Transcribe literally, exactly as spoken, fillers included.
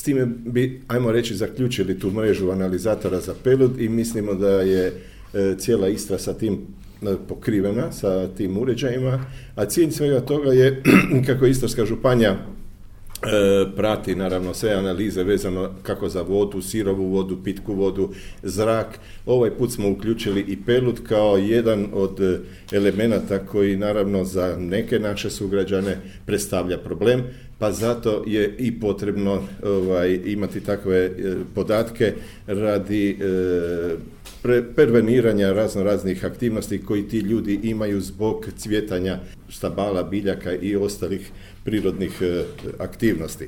time bi, ajmo reći, zaključili tu mrežu analizatora za pelud i mislimo da je e, cijela Istra sa tim pokrivena, sa tim uređajima, a cilj svega toga je kako Istarska županija E, prati naravno sve analize vezano kako za vodu, sirovu vodu, pitku vodu, zrak. Ovaj put smo uključili i pelud kao jedan od elemenata koji naravno za neke naše sugrađane predstavlja problem, pa zato je i potrebno ovaj, imati takve e, podatke radi e, pre, preveniranja razno raznih aktivnosti koji ti ljudi imaju zbog cvjetanja stabala, biljaka i ostalih prirodnih e, aktivnosti.